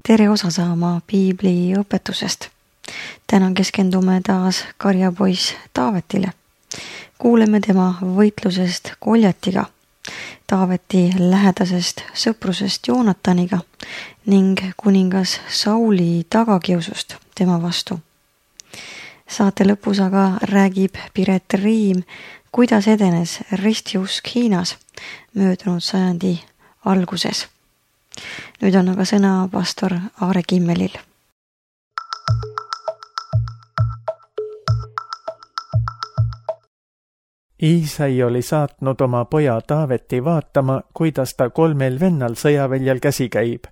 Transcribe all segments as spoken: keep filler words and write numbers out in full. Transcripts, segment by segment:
tere osa saama piibli õpetusest. Täna keskendume taas karjapoiss Taavetile. Kuuleme tema võitlusest Goljatiga, Taaveti lähedasest sõprusest Joonataniga ning kuningas Sauli tagakiusust tema vastu. Saate lõpus aga räägib Piret Riim, kuidas edenes ristiusk Hiinas möödunud sajandi alguses. Nüüd on aga sõna pastor Aare Kimmelil. Iisai oli saatnud oma poja Taaveti vaatama, kuidas ta kolmel vennal sõjaväljal käsi käib.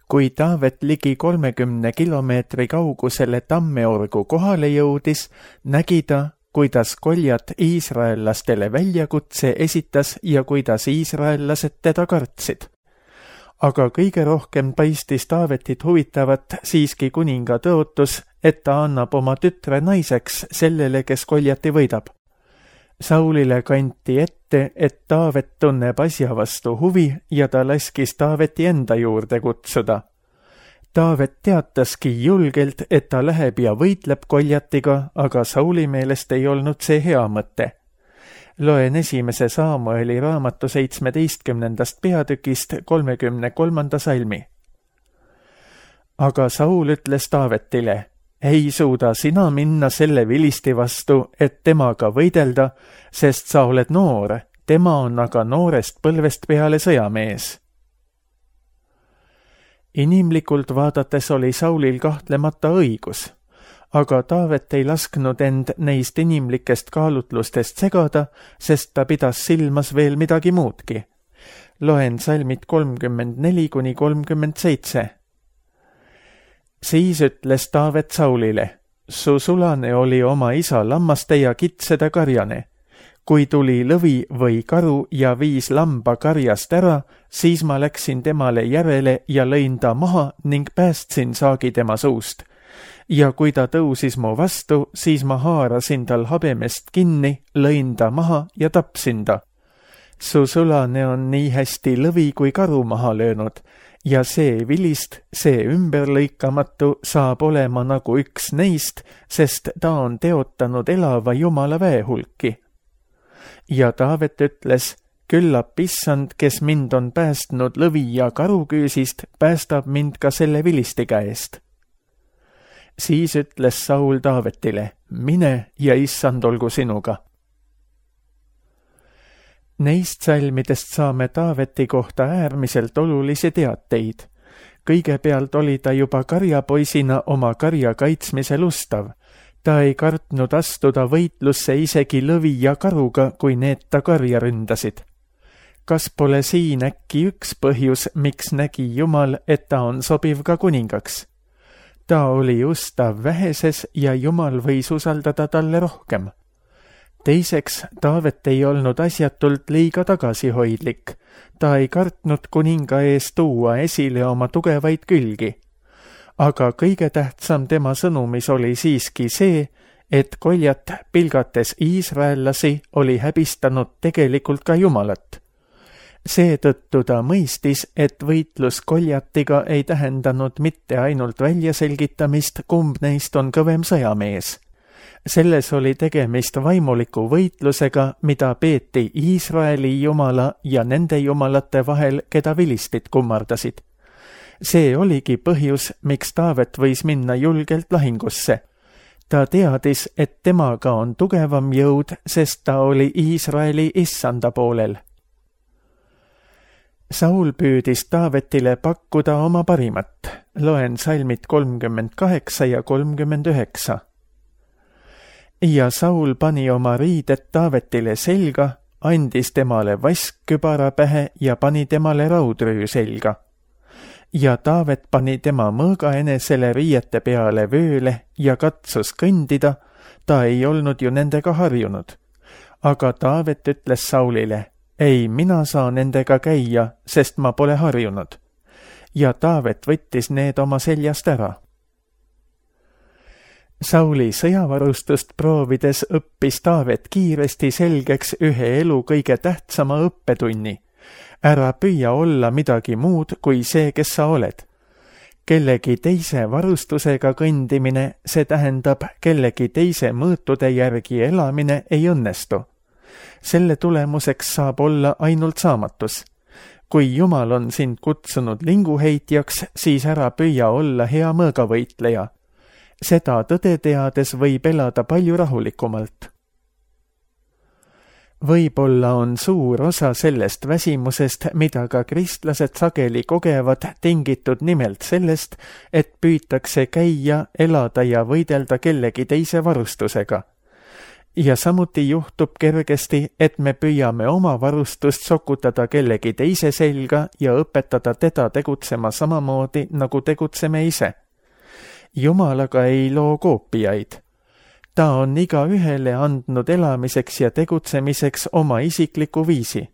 Kui Taavet ligi kolmekümne kilomeetri kaugusele Tammeorgu kohale jõudis, nägi ta, kuidas Goljat iisraellastele väljakutse esitas ja kuidas iisraellased teda kartsid. Aga kõige rohkem paistis Taavetit huvitavat siiski kuninga tõotus, et ta annab oma tütre naiseks sellele, kes Goljati võidab. Saulile kanti ette, et Taavet tunneb asja vastu huvi ja ta laskis Taaveti enda juurde kutsuda. Taavet teataski julgelt, et ta läheb ja võitleb Goljatiga, aga Sauli meelest ei olnud see hea mõte. Loen esimese Saamueli raamatu seitsmeteistkümnendast peatükist kolmekümne kolmanda salmi. Aga Saul ütles Taavetile, ei suuda sina minna selle vilisti vastu, et temaga võidelda, sest sa oled noor, tema on aga noorest põlvest peale sõjamees. Inimlikult vaadates oli Saulil kahtlemata õigus, aga Taavet ei lasknud end neist inimlikest kaalutlustest segada, sest ta pidas silmas veel midagi muudki. Loen salmid kolmkümmend neli kuni kolmkümmend seitse. Siis ütles Taavet Saulile, su sulane oli oma isa lammaste ja kitsede karjane. Kui tuli lõvi või karu ja viis lamba karjast ära, siis ma läksin temale järele ja lõin ta maha ning päästsin saagi tema suust. Ja kui ta tõusis mu vastu, siis ma haarasin tal habemest kinni, lõin ta maha ja tapsin ta. Su sulane on nii hästi lõvi kui karu maha löönud ja see vilist, see ümberlõikamatu saab olema nagu üks neist, sest ta on teotanud elava Jumala väehulki. Ja Taavet ütles, küllap issand, kes mind on päästnud lõvi ja karuküüsist, päästab mind ka selle vilisti käest. Siis ütles Saul Taavetile, mine ja issand olgu sinuga. Neist salmidest saame Taaveti kohta äärmiselt olulisi teateid. Kõigepealt oli ta juba karjapoisina oma karja kaitsmisel ustav. Ta ei kartnud astuda võitlusse isegi lõvi ja karuga, kui need ta karja ründasid. Kas pole siin äkki üks põhjus, miks nägi Jumal, et ta on sobiv ka kuningaks? Ta oli ustav väheses ja Jumal võis usaldada talle rohkem. Teiseks, Taavet ei olnud asjatult liiga tagasihoidlik. Ta ei kartnud kuninga ees tuua esile oma tugevaid külgi. Aga kõige tähtsam tema sõnumis oli siiski see, et Goljat pilgates iisraellasi oli häbistanud tegelikult ka Jumalat. Seetõttu ta mõistis, et võitlus Goljatiga ei tähendanud mitte ainult väljaselgitamist, kumb neist on kõvem sõjamees. Selles oli tegemist vaimuliku võitlusega, mida peeti Iisraeli jumala ja nende jumalate vahel, keda vilistid kummardasid. See oligi põhjus, miks Taavet võis minna julgelt lahingusse. Ta teadis, et temaga on tugevam jõud, sest ta oli Iisraeli issanda poolel. Saul püüdis Taavetile pakkuda oma parimat. Loen salmid kolmkümmend kaheksa ja kolmkümmend üheksa. Ja Saul pani oma riided Taavetile selga, andis temale vaskkübara pähe ja pani temale raudrüü selga. Ja Taavet pani tema mõõga enesele riiete peale vööle ja katsus kõndida, ta ei olnud ju nendega harjunud. Aga Taavet ütles Saulile, ei, mina saan nendega käia, sest ma pole harjunud. Ja Taavet võttis need oma seljast ära. Sauli sõjavarustust proovides õppis Taavet kiiresti selgeks ühe elu kõige tähtsama õppetunni. Ära püüa olla midagi muud kui see, kes sa oled. kellegi teise varustusega kõndimine, see tähendab kellegi teise mõõtude järgi elamine ei õnnestu. Selle tulemuseks saab olla ainult saamatus. Kui Jumal on sind kutsunud linguheitjaks, siis ära püüa olla hea mõõgavõitleja. Seda tõde teades võib elada palju rahulikumalt. Võib-olla on suur osa sellest väsimusest, mida ka kristlased sageli kogevad, tingitud nimelt sellest, et püütakse käia, elada ja võidelda kellegi teise varustusega. Ja samuti juhtub kergesti, et me püüame oma varustust sokutada kellegi teise selga ja õpetada teda tegutsema samamoodi, nagu tegutseme ise. Jumal aga ei loo koopiaid. Ta on iga ühele andnud elamiseks ja tegutsemiseks oma isikliku viisi.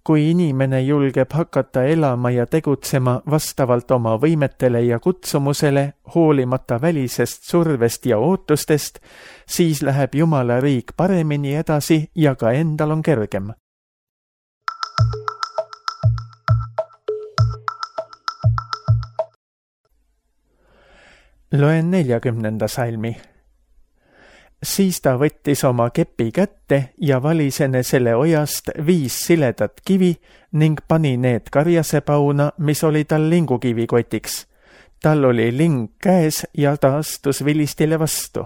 Kui inimene julgeb hakata elama ja tegutsema vastavalt oma võimetele ja kutsumusele, hoolimata välisest survest ja ootustest, siis läheb Jumala riik paremini edasi ja ka endal on kergem. Loen neljakümnenda salmi. Siis ta võttis oma kepi kätte ja valis enesele ojast viis siledat kivi ning pani need karjasepauna, mis oli tal lingukivikotiks. Tal oli ling käes ja ta astus vilistile vastu.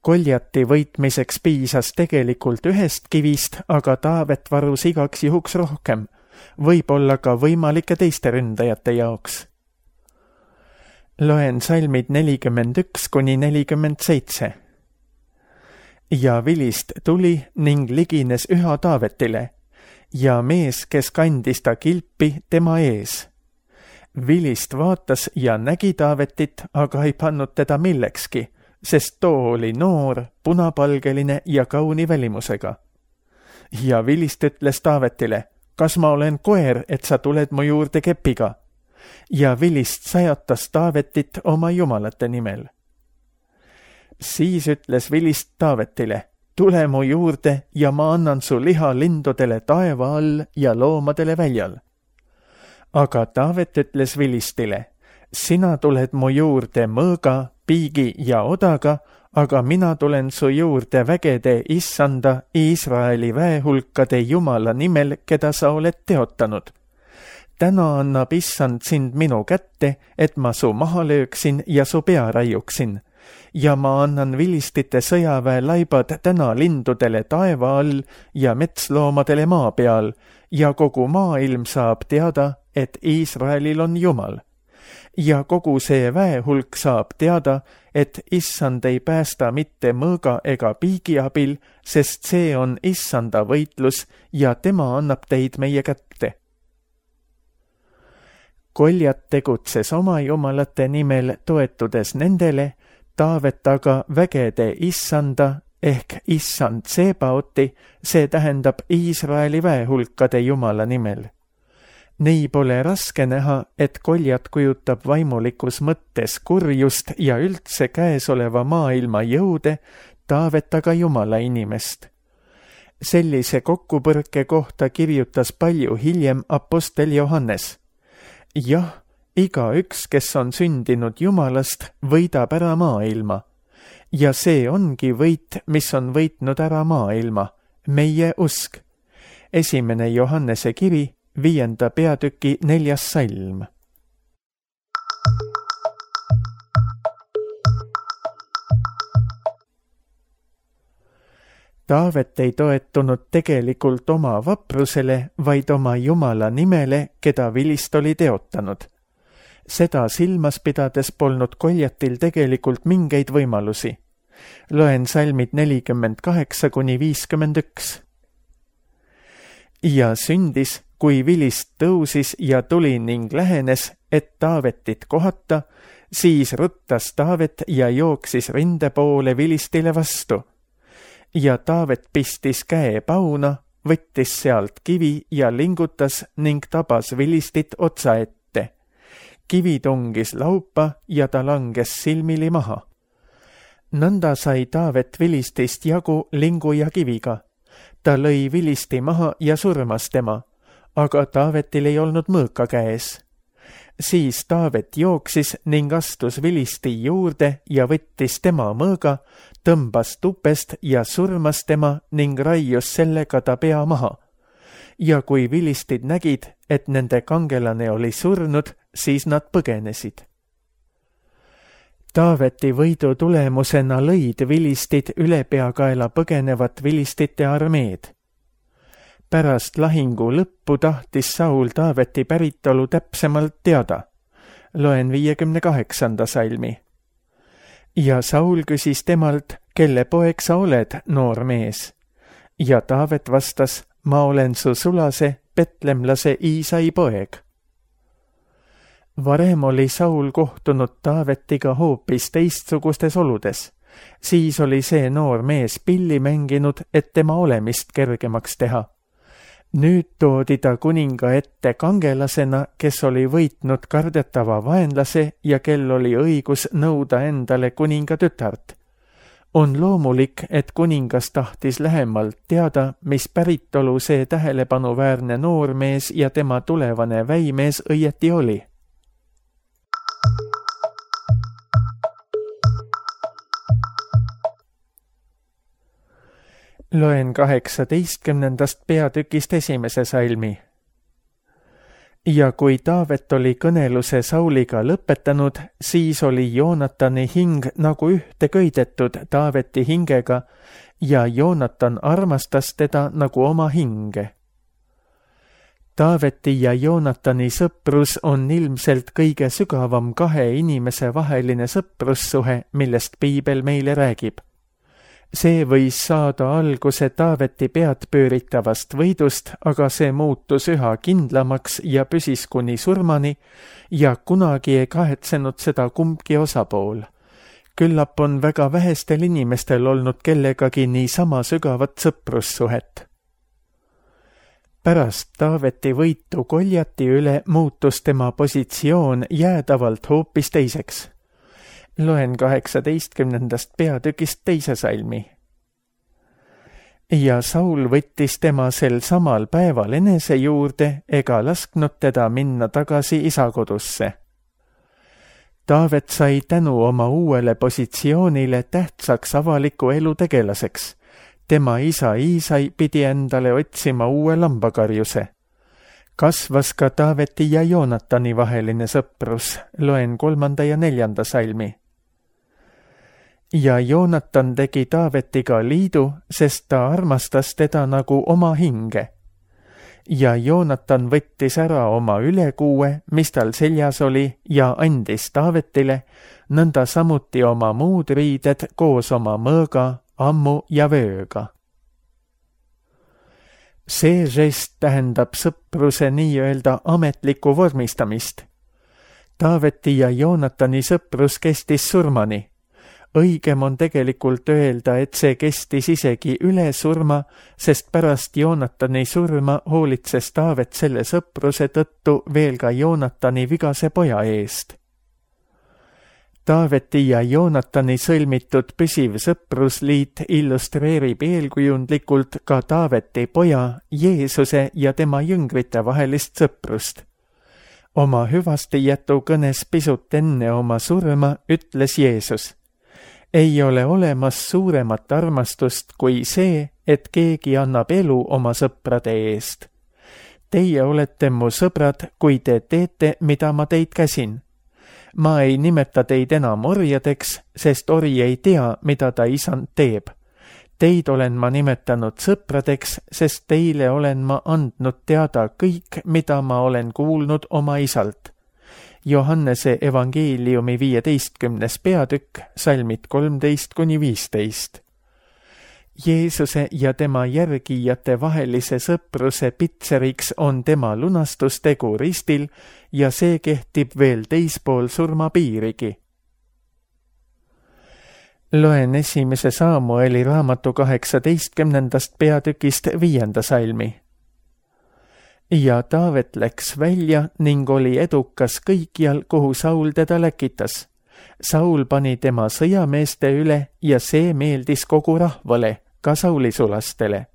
Koljati võitmiseks piisas tegelikult ühest kivist, aga Taavet varus igaks juhuks rohkem, võib-olla ka võimalike teiste ründajate jaoks. Loen salmid nelikümmend üks kuni nelikümmend seitse. Ja vilist tuli ning ligines üha Taavetile, ja mees, kes kandis ta kilpi tema ees. Vilist vaatas ja nägi Taavetit, aga ei pannud teda millekski, sest too oli noor, punapalgeline ja kauni välimusega. Ja vilist ütles Taavetile, kas ma olen koer, et sa tuled mu juurde kepiga? Ja vilist sajatas Taavetit oma jumalate nimel. Siis ütles vilist Taavetile, tule mu juurde ja ma annan su liha lindudele taeva all ja loomadele väljal. Aga Taavet ütles vilistile, sina tuled mu juurde mõõga, piigi ja odaga, aga mina tulen su juurde vägede issanda Iisraeli väehulkade Jumala nimel, keda sa oled teotanud. Täna annab issand sind minu kätte, et ma su maha lööksin ja su pea raiuksin. Ja ma annan vilistite sõjaväe laibad täna lindudele taeva all ja metsloomadele maa peal ja kogu maailm saab teada, et Iisraelil on Jumal. Ja kogu see väehulk saab teada, et issand ei päästa mitte mõõga ega piigi abil, sest see on issanda võitlus ja tema annab teid meie kätte. Koljat tegutses oma jumalate nimel toetudes nendele, Taavet aga vägede issanda ehk issand Sebaoti, see tähendab Iisraeli väehulkade Jumala nimel. Nii pole raske näha, et Koljat kujutab vaimulikus mõttes kurjust ja üldse käesoleva maailma jõude, Taavet aga Jumala inimest. Sellise kokkupõrke kohta kirjutas palju hiljem apostel Johannes. Jah, iga üks, kes on sündinud Jumalast, võidab ära maailma. Ja see ongi võit, mis on võitnud ära maailma, meie usk. Esimene Johannese kiri, viienda peatüki neljas salm. Taavet ei toetunud tegelikult oma vaprusele, vaid oma Jumala nimele, keda vilist oli teotanud. Seda silmas pidades polnud Koljatil tegelikult mingeid võimalusi. Loen salmid nelikümmend kaheksa kuni viiskümmend üks. Ja sündis, kui vilist tõusis ja tuli ning lähenes, et Taavetit kohata, siis ruttas Taavet ja jooksis rinde poole vilistile vastu. Ja Taavet pistis käe pauna, võttis sealt kivi ja lingutas ning tabas vilistit otsa ette. Kivi tungis laupa ja ta langes silmili maha. Nõnda sai Taavet vilistist jagu lingu ja kiviga. Ta lõi vilisti maha ja surmas tema, aga Taavetil ei olnud mõõka käes. Siis Taavet jooksis ning astus Vilisti juurde ja võttis tema mõõga, tõmbas tupest ja surmas tema ning raius sellega ta pea maha. Ja kui vilistid nägid, et nende kangelane oli surnud, siis nad põgenesid. Taaveti võidu tulemusena lõid vilistid ülepeakaela põgenevat vilistite armeed. Pärast lahingu lõppu tahtis Saul Taaveti päritolu täpsemalt teada. Loen viiekümne kaheksanda salmi. Ja Saul küsis temalt, kelle poeg sa oled, noor mees? Ja Taavet vastas, ma olen su sulase, petlemlase Iisai poeg. Varem oli Saul kohtunud Taavetiga hoopis teistsugustes oludes. Siis oli see noor mees pilli mänginud, et tema olemist kergemaks teha. Nüüd toodi ta kuninga ette kangelasena, kes oli võitnud kardetava vaenlase ja kel oli õigus nõuda endale kuninga tütart. On loomulik, et kuningas tahtis lähemalt teada, mis päritolu see tähelepanuväärne noormees ja tema tulevane väimees õieti oli. Loen kaheksateistkümnendast peatükist esimese salmi. Ja kui Taavet oli kõneluse Sauliga lõpetanud, siis oli Joonatani hing nagu ühte köidetud Taaveti hingega ja Joonatan armastas teda nagu oma hinge. Taaveti ja Joonatani sõprus on ilmselt kõige sügavam kahe inimese vaheline sõprussuhe, millest piibel meile räägib. See võis saada alguse Taaveti pead pööritavast võidust, aga see muutus üha kindlamaks ja püsis kuni surmani ja kunagi ei kahetsenud seda kumbki osapool. Küllap on väga vähestel inimestel olnud kellegagi nii sama sügavat sõprussuhet. Pärast Taaveti võitu Goljati üle muutus tema positsioon jäädavalt hoopis teiseks. Loen kaheksateistkümnendast peatükist teise salmi. Ja Saul võttis tema sel samal päeval enese juurde ega lasknud teda minna tagasi isakodusse. Taavet sai tänu oma uuele positsioonile tähtsaks avaliku elu tegelaseks. Tema isa Iisai pidi endale otsima uue lambakarjuse. Kasvas ka Taaveti ja Joonatani vaheline sõprus. Loen kolmanda ja neljanda salmi. Ja Joonatan tegi Taavetiga liidu, sest ta armastas teda nagu oma hinge. Ja Joonatan võttis ära oma ülekuue, mis tal seljas oli, ja andis Taavetile, nõnda samuti oma muud riided koos oma mõõga, ammu ja vööga. See žest tähendab sõpruse nii-öelda ametlikku vormistamist. Taaveti ja Joonatani sõprus kestis surmani. Õigem on tegelikult öelda, et see kestis isegi üle surma, sest pärast Joonatani surma hoolitses Taavet selle sõpruse tõttu veel ka Joonatani vigase poja eest. Taaveti ja Joonatani sõlmitud püsiv sõprusliit illustreerib eelkujundlikult ka Taaveti poja, Jeesuse ja tema jüngrite vahelist sõprust. Oma hüvastijätu kõnes pisut enne oma surma ütles Jeesus: ei ole olemas suuremat armastust kui see, et keegi annab elu oma sõprade eest. Teie olete mu sõbrad, kui te teete, mida ma teid käsin. Ma ei nimeta teid enam orjadeks, sest ori ei tea, mida ta isand teeb. Teid olen ma nimetanud sõpradeks, sest teile olen ma andnud teada kõik, mida ma olen kuulnud oma isalt. Johannese evangeeliumi viieteistkümnes peatükk, salmid kolmteist kuni viisteist. Jeesuse ja tema järgijate vahelise sõpruse pitseriks on tema lunastustegu ristil ja see kehtib veel teispool surmapiirigi. Loen esimese Saamueli raamatu kaheksateistkümnendast peatükist viienda salmi. Ja Taavet läks välja ning oli edukas kõikjal, kuhu Saul teda läkitas. Saul pani tema sõjameeste üle ja see meeldis kogu rahvale, ka Sauli sulastele.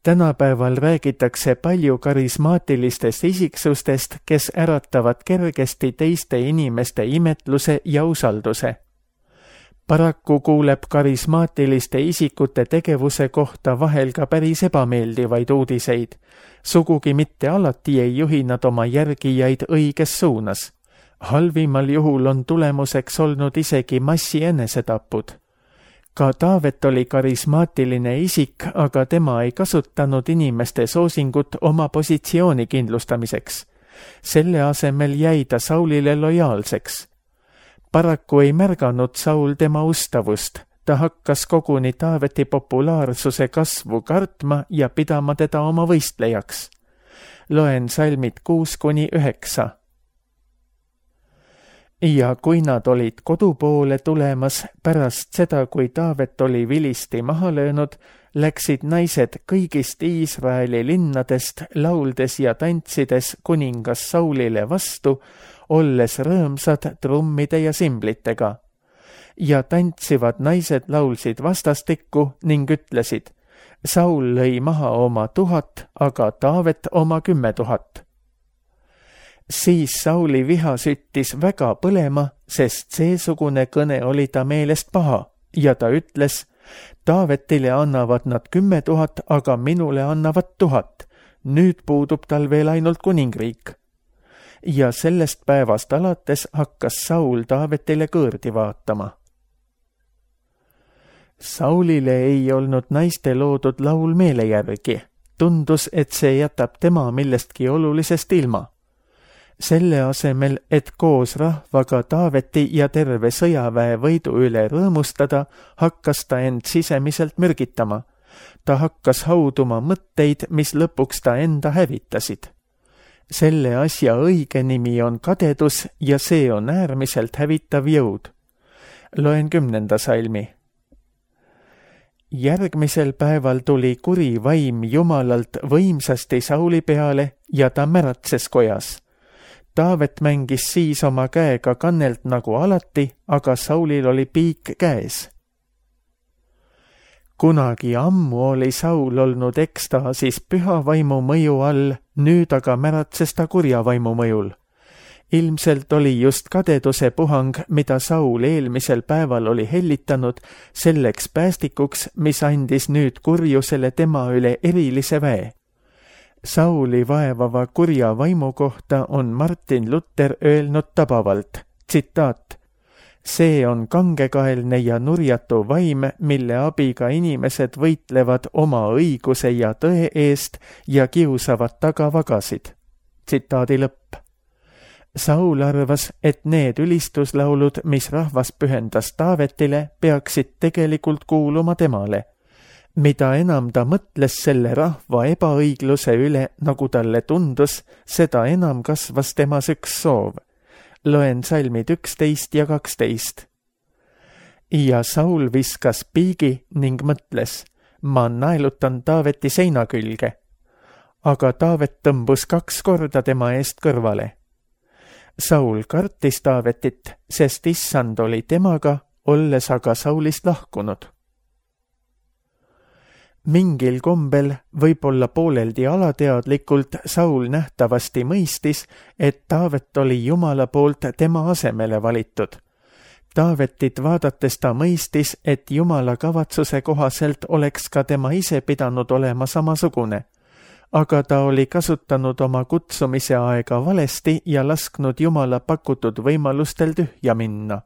Tänapäeval räägitakse palju karismaatilistest isiksustest, kes äratavad kergesti teiste inimeste imetluse ja usalduse. Paraku kuuleb karismaatiliste isikute tegevuse kohta vahel ka päris ebameeldivaid uudiseid. Sugugi mitte alati ei juhi nad oma järgijaid õiges suunas. Halvimal juhul on tulemuseks olnud isegi massi enesetapud. Ka Taavet oli karismaatiline isik, aga tema ei kasutanud inimeste soosingut oma positsiooni kindlustamiseks. Selle asemel jäi ta Saulile lojaalseks. Paraku ei märganud Saul tema ustavust. Ta hakkas koguni Taaveti populaarsuse kasvu kartma ja pidama teda oma võistlejaks. Loen salmid kuus kuni üheksa. Ja kui nad olid kodu poole tulemas pärast seda, kui Taavet oli vilisti maha löönud, läksid naised kõigist Iisraeli linnadest lauldes ja tantsides kuningas Saulile vastu, olles rõõmsad trummide ja simblitega. Ja tantsivad naised laulsid vastastikku ning ütlesid, Saul lõi maha oma tuhat, aga Taavet oma kümme tuhat. Siis Sauli viha süttis väga põlema, sest seesugune kõne oli ta meelest paha ja ta ütles, Taavetile annavad nad kümme tuhat, aga minule annavad tuhat. Nüüd puudub tal veel ainult kuningriik. Ja sellest päevast alates hakkas Saul Taavetile kõõrdi vaatama. Saulile ei olnud naiste loodud laul meele järgi. Tundus, et see jätab tema millestki olulisest ilma. Selle asemel, et koos rahvaga Taaveti ja terve sõjaväe võidu üle rõõmustada, hakkas ta end sisemiselt mürgitama. Ta hakkas hauduma mõtteid, mis lõpuks ta enda hävitasid. Selle asja õige nimi on kadedus ja see on äärmiselt hävitav jõud. Loen kümnenda salmi. Järgmisel päeval tuli kuri vaim Jumalalt võimsasti Sauli peale ja ta märatses kojas. Taavet mängis siis oma käega kannelt nagu alati, aga Saulil oli piik käes. Kunagi ammu oli Saul olnud ekstaasis püha vaimu mõju all, nüüd aga märatses ta kurja vaimu mõjul. Ilmselt oli just kadeduse puhang, mida Saul eelmisel päeval oli hellitanud, selleks päästikuks, mis andis nüüd kurjusele tema üle erilise väe. Sauli vaevava kurja vaimu kohta on Martin Luther öelnud tabavalt, tsitaat, see on kangekaelne ja nurjatu vaim, mille abiga inimesed võitlevad oma õiguse ja tõe eest ja kiusavad tagavagasid. Tsitaadi lõpp. Saul arvas, et need ülistuslaulud, mis rahvas pühendas Taavetile, peaksid tegelikult kuuluma temale. Mida enam ta mõtles selle rahva ebaõigluse üle, nagu talle tundus, seda enam kasvas temas üks soov. Loen salmid üksteist ja kaksteist. Ja Saul viskas piigi ning mõtles, ma naelutan Taaveti seina külge. Aga Taavet tõmbus kaks korda tema eest kõrvale. Saul kartis Taavetit, sest issand oli temaga, olles aga Saulist lahkunud. Mingil kombel, võib-olla pooleldi alateadlikult, Saul nähtavasti mõistis, et Taavet oli Jumala poolt tema asemele valitud. Taavetit vaadates ta mõistis, et Jumala kavatsuse kohaselt oleks ka tema ise pidanud olema samasugune. Aga ta oli kasutanud oma kutsumise aega valesti ja lasknud Jumala pakutud võimalustel tühja minna.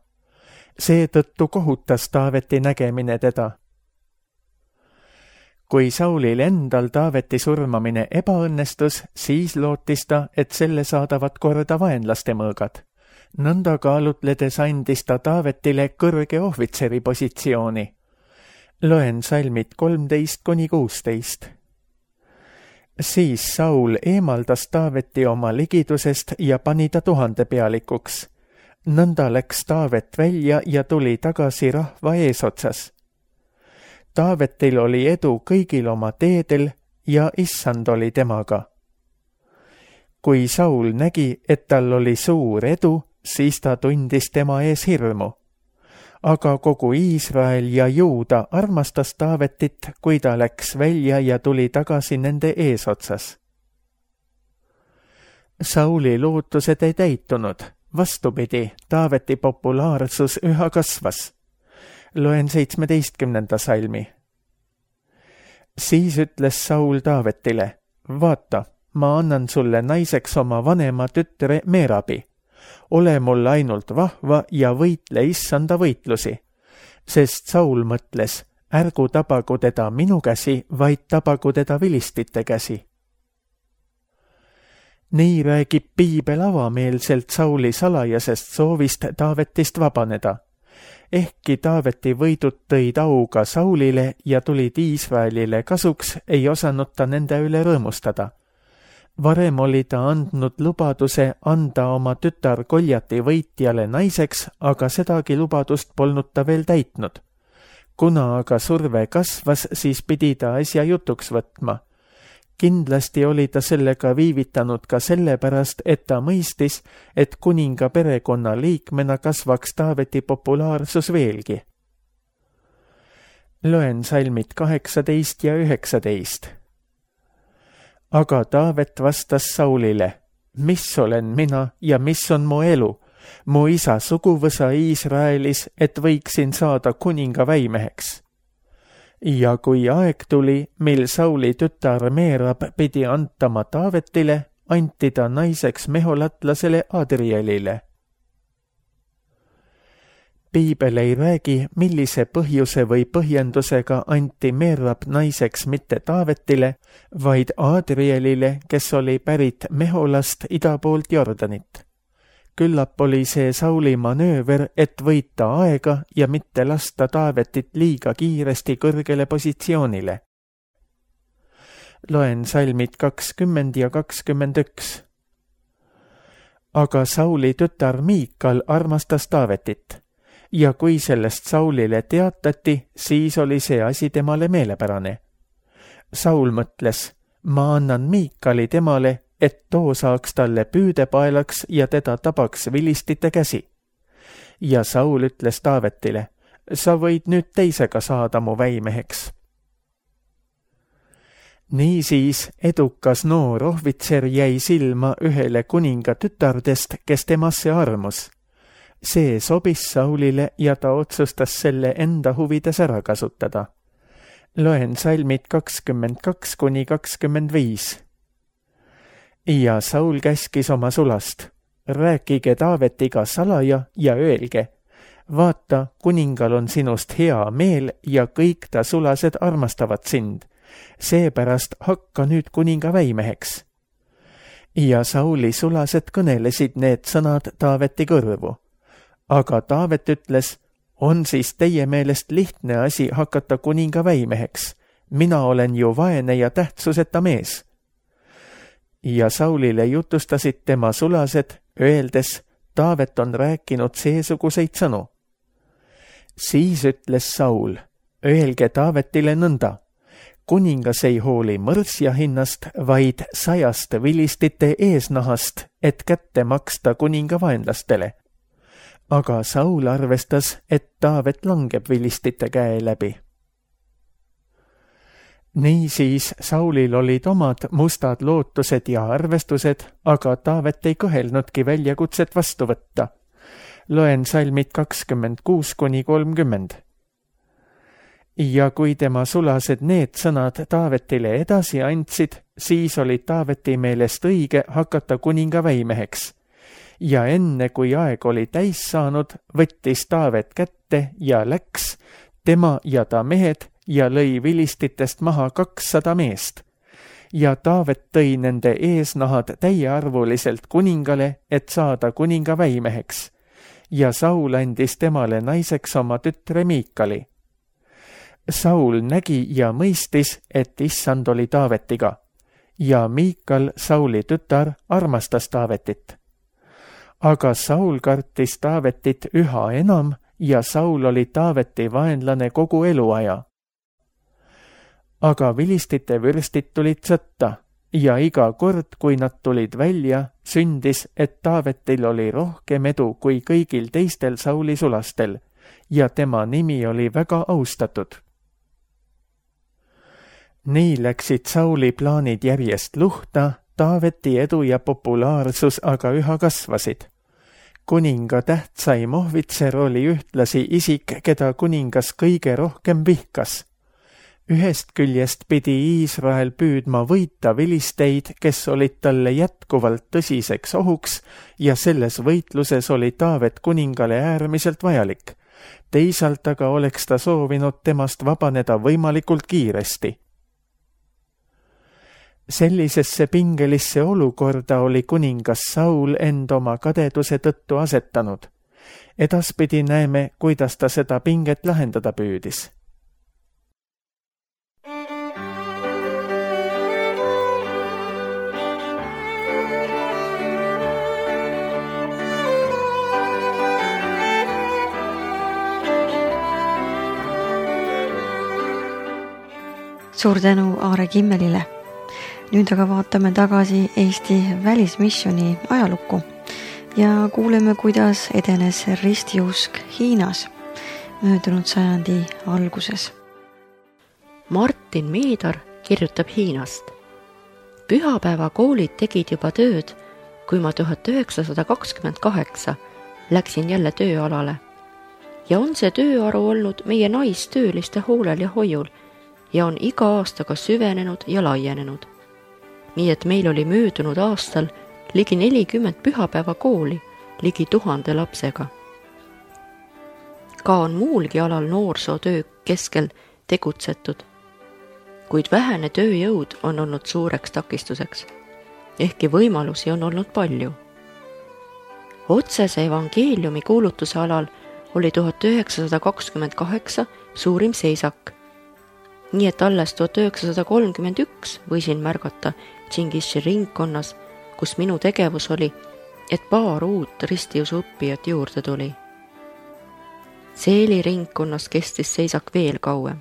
Seetõttu kohutas Taaveti nägemine teda. Kui Saulil endal Taaveti surmamine ebaõnnestus, siis lootis ta, et selle saadavat korda vaenlaste mõõgad. Nõnda kaalutledes andis ta Taavetile kõrge ohvitseri positsiooni. Loen salmid kolmteist kuni kuusteist. Siis Saul eemaldas Taaveti oma ligidusest ja pani ta tuhandepealikuks. Nõnda läks Taavet välja ja tuli tagasi rahva eesotsas. Taavetil oli edu kõigil oma teedel ja issand oli temaga. Kui Saul nägi, et tal oli suur edu, siis ta tundis tema ees hirmu. aga kogu Iisrael ja Juuda armastas Taavetit, kui ta läks välja ja tuli tagasi nende eesotsas. Sauli lootused ei täitunud, vastupidi, Taaveti populaarsus üha kasvas. Loen seitsmeteistkümnenda salmi. Siis ütles Saul Taavetile, vaata, ma annan sulle naiseks oma vanema tütre Meerabi. Ole mul ainult vahva ja võitle issanda võitlusi, sest Saul mõtles, ärgu tabagu teda minu käsi, vaid tabagu teda vilistite käsi. Nii räägib piibel avameelselt Sauli salajasest soovist Taavetist vabaneda. Ehkki Taaveti võidud tõid auga Saulile ja tulid Iisraelile kasuks, ei osanud ta nende üle rõõmustada. Varem oli ta andnud lubaduse anda oma tütar Goljati võitjale naiseks, aga sedagi lubadust polnud ta veel täitnud. Kuna aga surve kasvas, siis pidi ta asja jutuks võtma. Kindlasti oli ta sellega viivitanud ka sellepärast, et ta mõistis, et kuninga perekonna liikmena kasvaks Taaveti populaarsus veelgi. Loen salmid kaheksateist ja üheksateist. Aga Taavet vastas Saulile, mis olen mina ja mis on mu elu, mu isa suguvõsa Iisraelis, et võiksin saada kuninga väimeheks. Ja kui aeg tuli, mil Sauli tütar Meerab pidi antama Taavetile, anti ta naiseks meholatlasele Adrielile. Piibel ei räägi, millise põhjuse või põhjendusega anti Meerab naiseks mitte Taavetile, vaid Adrielile, kes oli pärit Meholast ida poolt Jordanit. Küllap oli see Sauli manööver, et võita aega ja mitte lasta Taavetit liiga kiiresti kõrgele positsioonile. Loen salmid kakskümmend ja kakskümmend üks. Aga Sauli tütar Miikal armastas Taavetit. Ja kui sellest Saulile teatati, siis oli see asi temale meelepärane. Saul mõtles, ma annan Miikali temale, et too saaks talle püüdepaelaks ja teda tabaks vilistite käsi. Ja Saul ütles Taavetile, sa võid nüüd teisega saada mu väimeheks. Niisiis edukas noor ohvitser jäi silma ühele kuninga tütardest, kes temasse armus. See sobis Saulile ja ta otsustas selle enda huvides ära kasutada. Loen salmid kakskümmend kaks kuni kakskümmend viis. Ja Saul käskis oma sulast, rääkige Taavetiga salaja ja öelge, vaata, kuningal on sinust hea meel ja kõik ta sulased armastavad sind, seepärast hakka nüüd kuninga väimeheks. Ja Sauli sulased kõnelesid need sõnad Taaveti kõrvu. Aga Taavet ütles, on siis teie meelest lihtne asi hakata kuninga väimeheks. Mina olen ju vaene ja tähtsuseta mees. Ja Saulile jutustasid tema sulased, öeldes, Taavet on rääkinud seesuguseid sõnu. Siis ütles Saul, öelge Taavetile nõnda. Kuningas ei hooli mõrsja hinnast, vaid sajast vilistite eesnahast, et kätte maksta kuninga vaenlastele. Aga Saul arvestas, et Taavet langeb vilistite käe läbi. Niisiis Saulil olid omad mustad lootused ja arvestused, aga Taavet ei kõhelnudki väljakutset vastu võtta. Loen salmid kakskümmend kuus kuni kolmkümmend. Ja kui tema sulased need sõnad Taavetile edasi andsid, siis oli Taaveti meelest õige hakata kuninga väimeheks. Ja enne kui aeg oli täis saanud, võttis Taavet kätte ja läks, tema ja ta mehed, ja lõi vilistitest maha kakssada meest. Ja Taavet tõi nende eesnahad täiearvuliselt kuningale, et saada kuninga väimeheks. Ja Saul andis temale naiseks oma tütre Miikali. Saul nägi ja mõistis, et issand oli Taavetiga. Ja Miikal, Sauli tütar, armastas Taavetit. Aga Saul kartis Taavetit üha enam ja Saul oli Taaveti vaenlane kogu eluaja. Aga vilistite vürstid tulid sõtta ja iga kord, kui nad tulid välja, sündis, et Taavetil oli rohkem edu kui kõigil teistel Sauli sulastel, ja tema nimi oli väga austatud. Nii läksid Sauli plaanid järjest luhta, Taaveti edu ja populaarsus aga üha kasvasid. Kuninga tähtsaim ohvitser oli ühtlasi isik, keda kuningas kõige rohkem vihkas. Ühest küljest pidi Iisrael püüdma võita vilisteid, kes olid talle jätkuvalt tõsiseks ohuks ja selles võitluses oli Taavet kuningale äärmiselt vajalik. Teisalt aga oleks ta soovinud temast vabaneda võimalikult kiiresti. Sellisesse pingelisse olukorda oli kuningas Saul end oma kadeduse tõttu asetanud. Edaspidi näeme, kuidas ta seda pinget lahendada püüdis. Suur tänu Aare Kimmelile. Nüüd aga vaatame tagasi Eesti välismissiooni ajalukku ja kuuleme, kuidas edenes ristiusk Hiinas möödunud sajandi alguses. Martin Meedar kirjutab Hiinast. Pühapäevakoolid tegid juba tööd, kui ma tuhat üheksasada kakskümmend kaheksa läksin jälle tööalale. Ja on see tööaru olnud meie naistööliste hoolel ja hoiul ja on iga aastaga süvenenud ja laienenud. Nii et meil oli möödunud aastal ligi nelikümmend pühapäevakooli, ligi tuhande lapsega. Ka on muulgi alal noorsootöö keskel tegutsetud, kuid vähene tööjõud on olnud suureks takistuseks, ehkki võimalusi on olnud palju. Otsese evangeeliumi kuulutuse alal oli tuhat üheksasada kakskümmend kaheksa suurim seisak, nii et alles tuhat üheksasada kolmkümmend üks võisin märgata Tšingiši ringkonnas, kus minu tegevus oli, et paar uut ristiusu õppijat juurde tuli. Seeli ringkonnas kestis seisak veel kauem.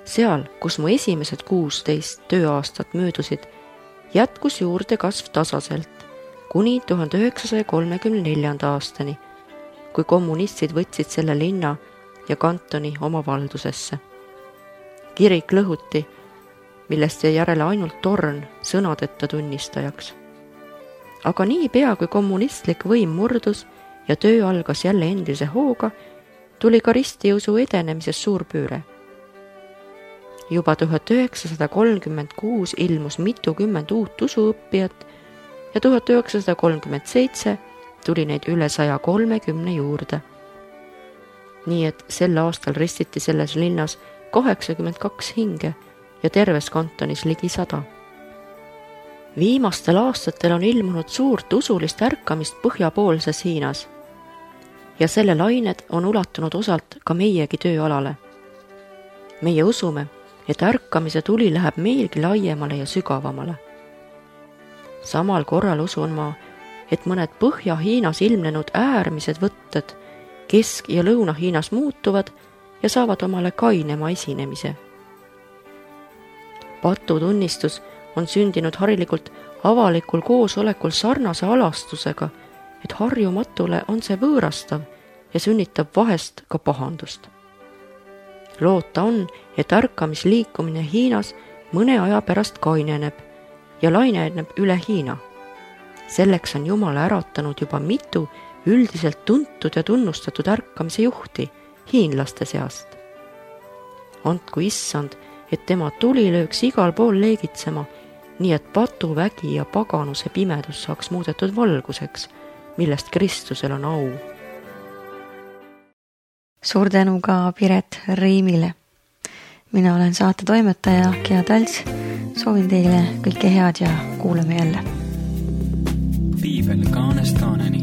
Seal, kus mu esimesed kuusteist tööaastat möödusid, jätkus juurde kasv tasaselt kuni tuhande üheksasaja kolmekümne neljanda aastani, kui kommunistid võtsid selle linna ja kantoni oma valdusesse. Kirik lõhuti, millest jäi järele ainult torn sõnadeta tunnistajaks. Aga nii pea, kui kommunistlik võim murdus ja töö algas jälle endise hooga, tuli ka ristiusu edenemises suurpüüre. Juba tuhat üheksasada kolmkümmend kuus ilmus mitukümmend uut usuõppijat ja tuhat üheksasada kolmkümmend seitse tuli neid üle saja kolmekümne juurde. Nii et sel aastal ristiti selles linnas kaheksakümmend kaks hinge ja terves kantonis ligi sada. Viimastel aastatel on ilmunud suurt usulist ärkamist põhjapoolses Hiinas ja selle lained on ulatunud osalt ka meiegi tööalale. Meie usume, et ärkamise tuli läheb meilgi laiemale ja sügavamale. Samal korral usun ma, et mõned Põhja-Hiinas ilmnenud äärmised võtted Kesk- ja Lõuna-Hiinas muutuvad ja saavad omale kainema esinemise. Patutunnistus on sündinud harilikult avalikul koosolekul sarnase alastusega, et harjumatule on see võõrastav ja sünnitab vahest ka pahandust. Loota on, et ärkamisliikumine Hiinas mõne aja pärast kaineneb ja laineneb üle Hiina. Selleks on Jumal äratanud juba mitu üldiselt tuntud ja tunnustatud ärkamise juhti hiinlaste seast. Andku issand, et tema tuli lööks igal pool leegitsema, nii et patuvägi ja paganuse pimedus saaks muudetud valguseks, millest Kristusel on au. Suur tänu ka Piret Riimile. Mina olen saate toimetaja Gea Talts. Soovin teile kõike head ja kuuleme jälle. Piibel kaanest kaaneni.